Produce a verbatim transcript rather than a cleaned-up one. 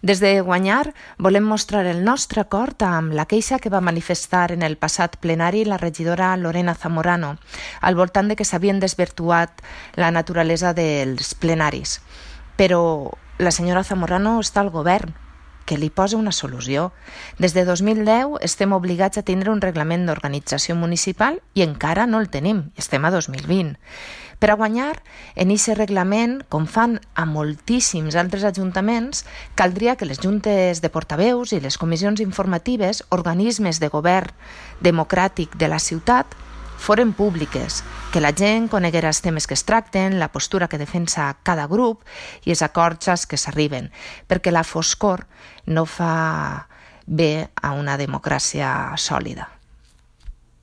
Des de Guanyar volem mostrar el nostre acord amb la queixa que va manifestar en el passat plenari la regidora Lorena Zamorano al voltant de que s'havien desvirtuat la naturalesa dels plenaris. Però la senyora Zamorano està al govern, que li posa una solució. Des de dos mil deu estem obligats a tindre un reglament d'organització municipal i encara no el tenim, estem a dos mil vint. Per a guanyar, en aquest reglament, com fan a moltíssims altres ajuntaments, caldria que les juntes de portaveus i les comissions informatives, organismes de govern democràtic de la ciutat, foren públiques, que la gent coneguera els temes que es tracten, la postura que defensa cada grup i els acords als que s'arriben, perquè la foscor no fa bé a una democràcia sòlida.